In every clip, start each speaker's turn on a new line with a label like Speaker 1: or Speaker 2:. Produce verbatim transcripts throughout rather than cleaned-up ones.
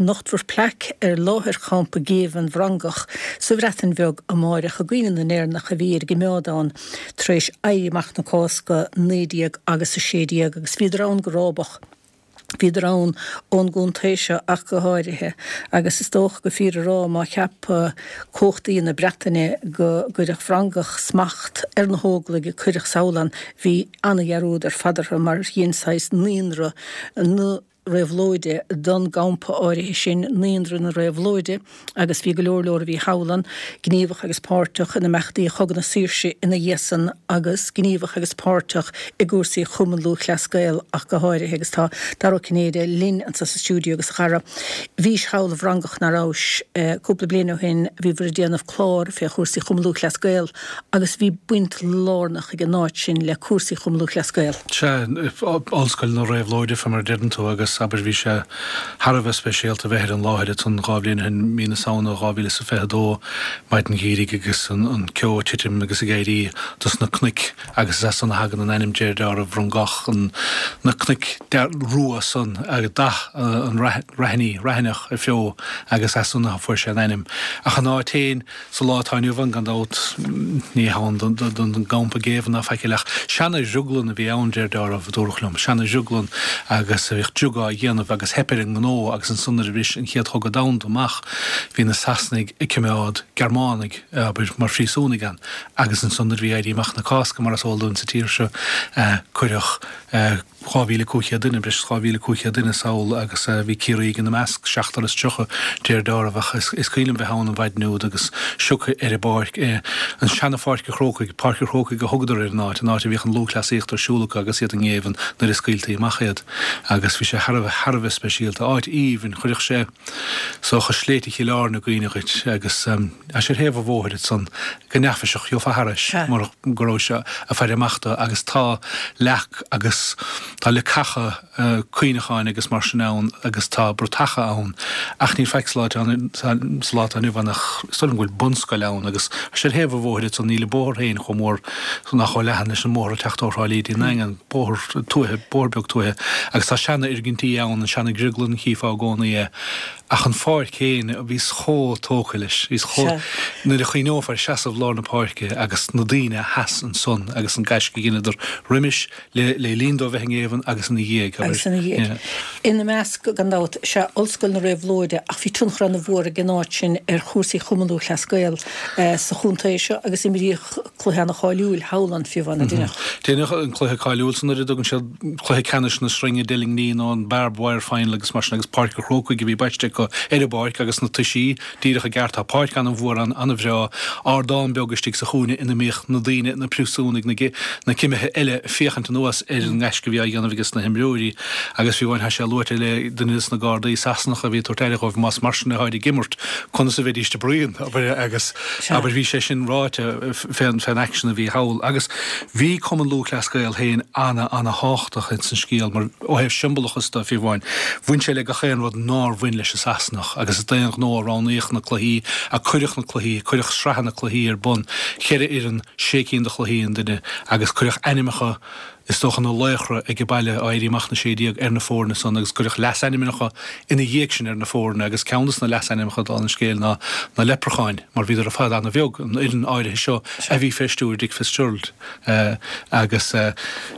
Speaker 1: Nochtfar plaic ar láthair champa géibhinn Fhrancach sa Bhreatain Bheag amáireach i gcuimhne na nÉireannach a bhí ar a gcoimeád ann tar éis Éirí Amach na Cásca naoi déag agus a sé déag agus bhíodar ann go rábach. Bhíodar ann ón gcontae seo ach go háirithe agus is dócha go fíor a rá má cheap cumhachtaí na Breataine go gcuirfeadh Francaigh smacht ar na hÓglaigh a cuireadh sall ann bhí ana-dhearúd ar fad orthu mar dhein saghas naíonra na réabhlóide don gcampa áirithe sin, Naíonra na Réabhlóide, agus bhí go leor leor a bhí thall ann, gníomhach agus páirteach in imeachtaí Chogadh na Saoirse ina dhiaidh san agus gníomhach agus páirteach i gcúrsaí Chumann Lúthchleas Gael ach go háirithe agus tá Dara Ó Cinnéide linn anseo sa stiúideo agus a Dhara, bhís thall i bhFrongoch ná rabhais cúpla bliain ó shin, bhíobhair ag déanamh clár fé chúrsaí Chumann Lúthchleas Gael agus bhí baint lárnach ag an áit sin le cúrsaí Chumann Lúthchleas Gael.
Speaker 2: Sea, Ollscoil na Réabhlóide fé mar a deireann tú agus abair bhí sé thar a bheith speisialta bheith ar an láthair ansan dhá bhliain ó shin, mí na Samhna dhá mhíle is a fiche a dó, maidin gheimhridh agus an ceo ag titim agus ag éirí dos na cnoic agus is as san a thagann an ainm deir dealramh Frongoch, an na cnoic rua san agus dath an raithní, raithneach ar feo agus as san a fuair sé an ainm. Ach an áit féin sa lá atá inniu ann gan dabht ní hann don gcampa géibhinn ná faic eile ach seana-dhrioglann a bhí ann deir dealramh, a dúradh liom, seana-dhrioglann agus bhíodh driog á dhéanamh agus theip ar an ngnó agus ansan nuair a bhris an Chéad Chogadh Domhanda amach bhí na Sasanaigh ag coimeád Gearmánaigh, abair, mar phríosúnaigh ann agus ansan nuair a bhí Éirí Amach na Cásca mar is eol dúinn sa tír seo cuireadh dhá mhíle cúig chéad duine, breis is dhá mhíle cúig chéad duine sall agus bhí Ciarraígh ina measc, seachtar is tríocha, deir dealramh, ach is cuimhin liom bheith ann an mhaidin úd agus sioctha ar an bpáirc, an seana-Pháirc an Chrócaigh, Páirc an Chrócaigh a thugadar ar an áit, an áit a bhíodh an lúthchleasaíocht ar siúl acu agus iad i ngéibheann nuair a scaoiltí amach iad agus bhí sé thar a bheith, thar a bheith speisialta. Áit aoibhinn, chuirfeadh sé is dócha Sléibhte Chill Airne i gcuimhne dhuit agus tá sé ar thaobh an bhóthair ansan go neafaiseach, gheofá thairis murach go rabhais ag faire amach dó agus tá leac agus tá leacacha cuimhneacháin agus mar sin ann agus tá bratacha ann ach níl faic sa lá sa lá atá inniu ann ach is dóigh liom go bhfuil bunscoil ann agus tá sé ar thaobh an bhóthair ansan níl an bóthar féin chomh mór ná chomh leathan leis an mbóthar ag teacht ó Thrá Lí dtí an nDaingean, bóthar tuaithe, bóthar beag tuaithe agus tá seana-fhoirgintí ann, an seana-dhrioglann chífeá i gcónaí é ach an pháirc féin, bhíos chomh tógtha leis, bhíos chomh, nuair a chuimhneofá ar seasamh lár na páirce agus na daoine a sheas ansan agus an gaisce a dheineadar roimis le le linn dóibh bheith i ngéibheann agus ina dhiaidh, abair.
Speaker 1: Agus ina dhiaidh. Ina measc, gan dabht, sea Ollscoil na Réabhlóide ach bhí tionchar ana-mhór ag an áit sin ar chúrsaí Chumann Lúthchleas Gael sa chontae seo agus imríodh cluiche ana-cháiliúil thall ann fiú amháin, an ndeineadh?
Speaker 2: Deineadh an cluiche cáiliúil san nuair a dtugann siad cluiche ceannais na sreinge deilgní nó an Barbed Wire Final agus mar sin agus Páirc an Chrócaigh a bhí baiste acu ar an bpáirc agus na toisí díreach i gceart. Tá páirc an-mhór ann, an-bhreá, ardán beag istigh sa chúinne ina mbíodh na daoine, na príosúnaigh, na na cimithe eile ag féachaint anuas ar an ngaisce a bhí á dhéanamh ages na himreoirí agus fiú amháin tá sé luaite le duine des na gardaí Sasanacha a bhí ag tabhairt aire dhóibh, más mar sin atáid ag imirt, conas a bheidíst ag bruíon, abair, agus abair bhí sé sin ráite fén fén aicsean a bhí thall. Agus bhí Cumann Lúthchleas Gael féin ana ana thábhachtach ins an scéal mar ó thaobh siombalachas de fiú amháin, bhain sé le gach aon rud nár bhain leis an Sasanach agus is d'aon ghnó a roghnaíodh na cluichí, a cuireadh na cluichí, cuireadh sraitheanna cluichí ar bun, cheithre fhoireann, sé cinn de chluichí an duine agus cuireadh ainmneacha, is dócha, na laochra age baile Éirí Amach na Sé Déag ar na foirne san agus cuireadh leasainmneacha ina dhiaidh sin ar na foirne agus ceann de na leasainmneacha dála an scéil ná na Leipreacháin mar bhíodar ar fad ana-bheag, an fhoireann áirithe seo a bhí fé stiúir Dick Fitzgerald agus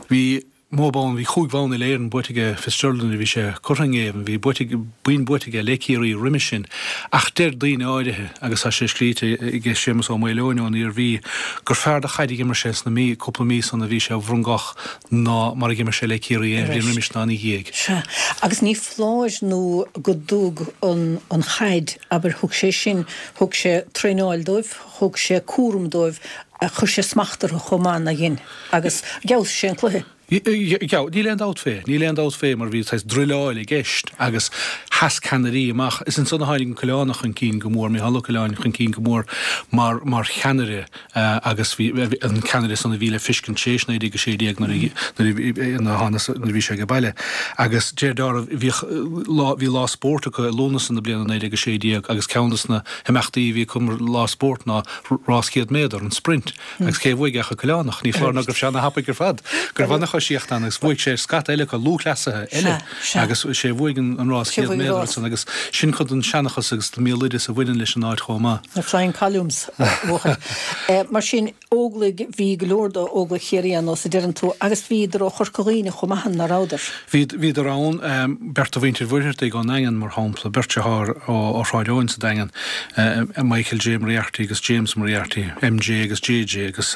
Speaker 2: bhí. Mó bonn, bhí chúig bhonn uile-Éireann buaite aige Fitzgerald nuair a bhí sé curtha i ngéibheann, bhí buaite, boinn buaite aige le Ciarraí roimis sin. Ach deir daoine áirithe, agus tá sé scríte aige Séamus Ó Maoileoin ón Iarmhí, gur fearr de chaid a dh'imir sé sna mí, cúpla mí san a bhí sé i bhFrongoch ná mar a dh'imir sé le Ciarraí aon bhliain roimis ná ina dhiaidh.
Speaker 1: Sea, agus ní foláir nó go dtug an an chaid, abair, thug sé sin, thug sé traenáil dóibh, thug sé cúram dóibh, chuir sé smacht orthu chomh maith, nár dhein, agus d'fheabhsaigh sé an cluiche.
Speaker 2: Níl aon dabht fé, níl aon dabht fé mar bhí saghas druileáil i gceist agus sheas ceannairí amach. Is ansan a tháinig an Coileánach chun cinn go mór, Micheál Ó Coileáin chun cinn go mór mar mar cheannaire agus bhí an ceannaire san a bhí le fiscint tar éis naoi déag a sé déag nuair a nuair a bhí sé age baile. Agus deir dealramh bhíodh lá bhí lá spóirt acu i Lúnasa na bliana naoi déag a sé déag agus ceann de na himeachtaí a bhí acu mar lá spóirt ná rás céad méadar, an sprint. Agus cé a bhuaigh ach an Coileánach? Ní foláir nó go raibh sé ana-thapaidh ar fad, go raibh ana-choisíocht ann agus bhuaigh sé ar scata eile acu, lúthchleasaithe eile, agus sé a bhuaigh an rás céad méadar ansan agus sin cuid den seanchas agus den mbéaloideas a bhaineann leis an áit chomh maith.
Speaker 1: Na Flying Columns, a bhuachaill. Mar sin, Óglaigh, bhí go leor d'Óglaigh Chiarraí ann, nós a deireann tú, agus bhíodar ó Chorca Dhuibhne chomh maith, an rabhadar?
Speaker 2: Bhí, bhíodar ann, beirt de mhuintir Mhuircheartaigh ón nDaingean, mar shampla, beirt deartháir ó Shráid Eoin sa Daingean, Michael J. Moriarty agus James Moriarty, MJ agus JJ, agus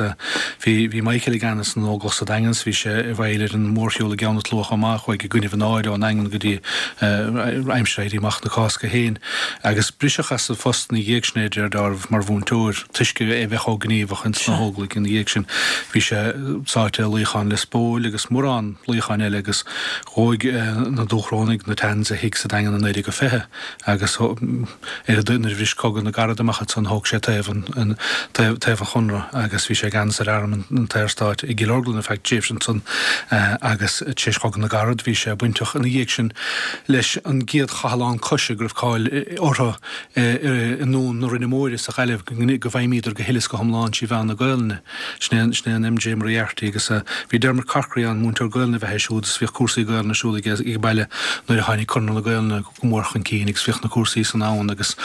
Speaker 2: bhí, bhí Michael i gceannas na nÓglach sa Daingean 's bhí sé i bhfeighil ar an mórshiúl i gCeann na Trá chomh maith, chuaigh i gcoinnibh an áir ón nDaingean go dtí aimsir Éirí Amach na Cásca féin, agus briseadh as a phost ina dhiaidh sin é, de réir dealraimh, mar mhúinteoir, toisc é bheith chomh gníomhach ins na hÓglaigh ina dhiaidh sin. Bhí sé sáite i luíochán Lios Póil agus mórán luíocháin eile agus dhóigh na Dúchrónaigh, na Tans, a thigh sa Daingean i naoi déag a fiche agus ar a nuair a bhris Cogadh na gCarad amach ansan thóg sé taobh an taobh an Chonradh agus bhí sé i gceannas ar arm an tSaorstáit i gCill Orglan ar feadh tréimhse ansan agus tar éis Chogadh na gCarad bhí sé bainteach ina dhiaidh sin leis an gcéad chathlán coise go raibh cáil orthu i nDún na Rinne Móire sa Ghaillimh go bhfeidhmíodar go huile is go hiomlán trí mheán na Gaelainne. Sin é sin é an MJ Moriarty agus bhí Dermot Corkery ann, múinteoir Gaelainne a bheith é siúd is bhíodh cúrsaí Gaelainne ar siúl aige ag baile nuair a tháinig Conradh na Gaelainne go mór chun cinn agus bhíodh na cúrsaí san ann agus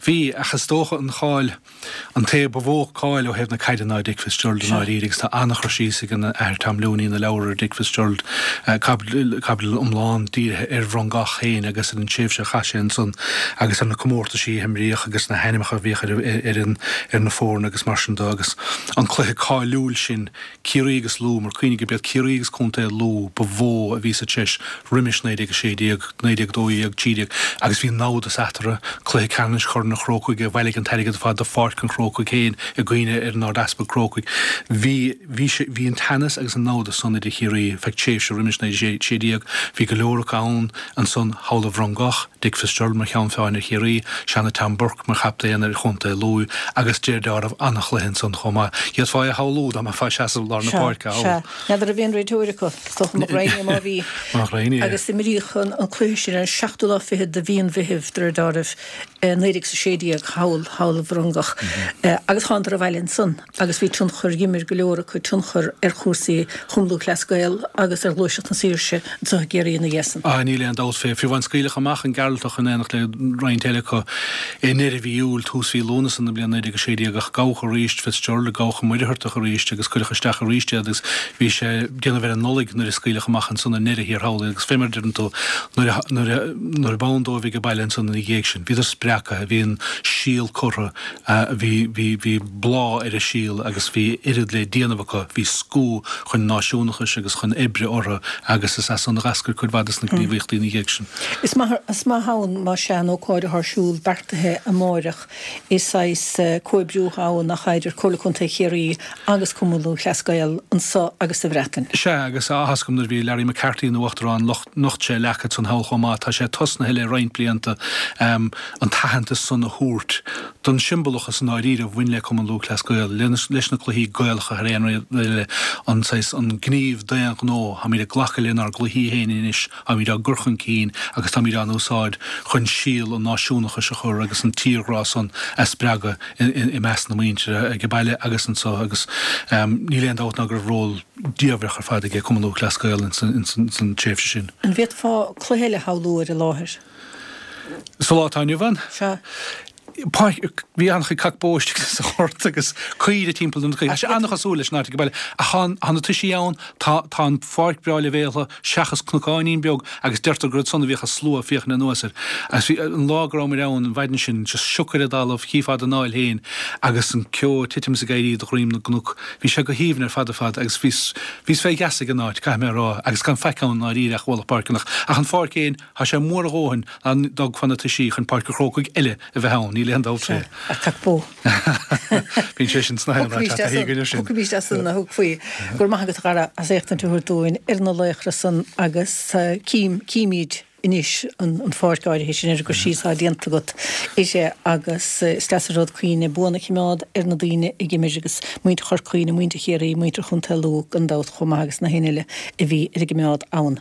Speaker 2: bhí ach is dócha an cháil an té ba mhó cáil ó thaobh na caide ná Dick Fitzgerald i ndáiríre agus tá an-chur síos ag an Athair Tom Looney ina leabhar ar Dick Fitzgerald, caibidil iomlán dírithe ar Bhrongoch féin agus ar an tréimhse a chaith sé ansan agus ar na comórtaisí a himríodh agus na hainmneacha a bhíodh ar an ar na foirne agus mar sin de agus an cluiche cáiliúil sin Ciarraí agus Lú mar cuimhnigh gurb iad Ciarraí agus Contae Lú ba mhó a bhí sa treis roimis naoi déag a sé déag, naoi déag a dó dhéag, trí déag agus bhí namhdas eatarthu, cluiche ceannais Chorn an Chrócaigh a bhailigh an t-airgead ar fad do Pháirc an Chrócaigh féin i gcuimhne ar an Ard-Easpag Crócaigh. Bhí, bhí sé, bhí an teannas agus an namhdas san idir Chiarraí feadh tréimhse roimis naoi déag sé déag. Bhí go leor acu ann ansan thall i Bhrongoch, Dick Fitzgerald mar cheann feadhain ar Chiarraí, Seanadh Tom Burke mar chaptaen ar Chontae Lú agus de réir dealraimh an-chluiche ansan chomh maith. D'fhéadfá é a shamhlú dá mbeifeá ag seasamh i lár na
Speaker 1: Sea,
Speaker 2: páirce
Speaker 1: sea.
Speaker 2: thall.
Speaker 1: N'fheadar an raibh aon réiteoir acu, is dócha Mac Raghnaill má bhí.
Speaker 2: Mac Raghnaill.
Speaker 1: Agus imríodh an cluiche sin ar an seachtú lá fichead de mhí an Mheithimh, de réir dealraimh, naoi déag is a sé déag, thall, thall i Bhrongoch. Agus thánadar abhaile ansan agus bhí tionchar, dh'imir go leor acu tionchar ar chúrsaí Chumann Lúthchleas Gael agus ar Ghluaiseacht na Saoirse anseo i gCiarraí ina dhiaidh san.
Speaker 2: Ah, níl aon dabht fé. Fiú amháin scaoileadh amach an Gearaltach in éineacht le roinnt eile acu i ndeireadh mhí Iúil, tús mhí Lúnasa na bliana naoi déag a sé déag ach gabhadh arís Fitzgerald, gabhadh an Muircheartach arís agus cuireadh isteach arís iad agus bhí sé ag déanamh ar an Nollaig nuair a scaoileadh amach ansan i ndeireadh thiar thall iad agus fé mar a deireann tú nuair a nuair a nuair a b'ann dóibh ag baile ansan ina dhiaidh sin bhíodar spreagtha, bhí an síol curtha, bhí bhí bhí bláth ar an síol agus bhí oiread le déanamh acu, bhí scúth chun náisiúnachais agus chun oibre orthu agus is as san a dh'eascair cuid mhaith des na gníomhaíochtaí ina dhiaidh sin.
Speaker 1: Is maith is maith ann más ea an ócáid atá ar siúl beartaithe amáireach. Is saghas comhoibriú atá ann nach ea idir Comhairle Contae Chiarraí agus Cumann Lúthchleas Gael anso agus sa Bhreatain.
Speaker 2: Sea, agus áthas agam nuair a bhí Larry McCarthy ina Uachtarán, nocht sé leac ansan thall chomh maith. Tá sé tosnaithe le roinnt blianta an t-aitheantas san a thabhairt don siombalachas i ndáiríre a bhain le Cumann Lúthchleas Gael, leis na cluichí Gaelacha thar aon rud eile, an saghas, an gníomh d'aon ghnó, táimid ag glacadh lenár gcluichí féin anois, táimid á gcur chun cinn agus táimid á n-úsáid chun síol an náisiúnachais a chur agus an tírghrá san a spreagadh i measc na muintire ag baile agus anso agus níl aon dabht ná go raibh ról diamhrach ar fad aige Cumann Lúthchleas Gael ins an tréimhse sin.
Speaker 1: An bhféadfá cluiche eile a shamhlú ar an láthair?
Speaker 2: Sa lá atá inniu ann?
Speaker 1: Sea.
Speaker 2: Páirc, bhí an-chuid cac bó istigh sa ghort agus caoire timpeall na Tá sé an-chosúil leis an áit ag baile. Ach tá tá na toisí ann, tá tá an pháirc breá leibhéaltha seachas cnocáinín beag agus deirtear gur ansan a bhíodh an slua ag féachaint anuas air. Agus bhí an lá go rabhamar ann an mhaidin sin just sioc ar an dtalamh, chífeá d'anáil féin agus an ceo ag titim is ag éirí de dhroim na gcnoc. Bhí sé go haoibhinn ar fad ar fad agus bhíos bhíos fé gheasa ag an áit, caithfidh mé a rá, agus gan faic ann i ndáiríre ach ualach páirceanna. Ach an pháirc féin, tá sé mór a dhóthain dá dtógfá na toisí chun Páirc an Chrócaigh eile a bheith ann, níl aon dabht fé.
Speaker 1: Ach cac bó.
Speaker 2: Bíonn sé sin sna haon áit, tá taithí againn air sin.
Speaker 1: Thiocfaimis as san a thug faoi. Go raibh maith agat a Dhara as éachtaint a thabhairt dúinn ar na laochra san agus cím, címid anois an pháirc áirithe sin ar an gcur síos atá déanta agat uirthi agus is deas an rud cuimhne buan a choimeád ar na daoine a d'imir agus muintir Chorca Dhuibhne, muintir Chiarraí, muintir Chontae Lú gan dabht chomh maith agus na héinne eile a bhí ar an gcoimeád ann.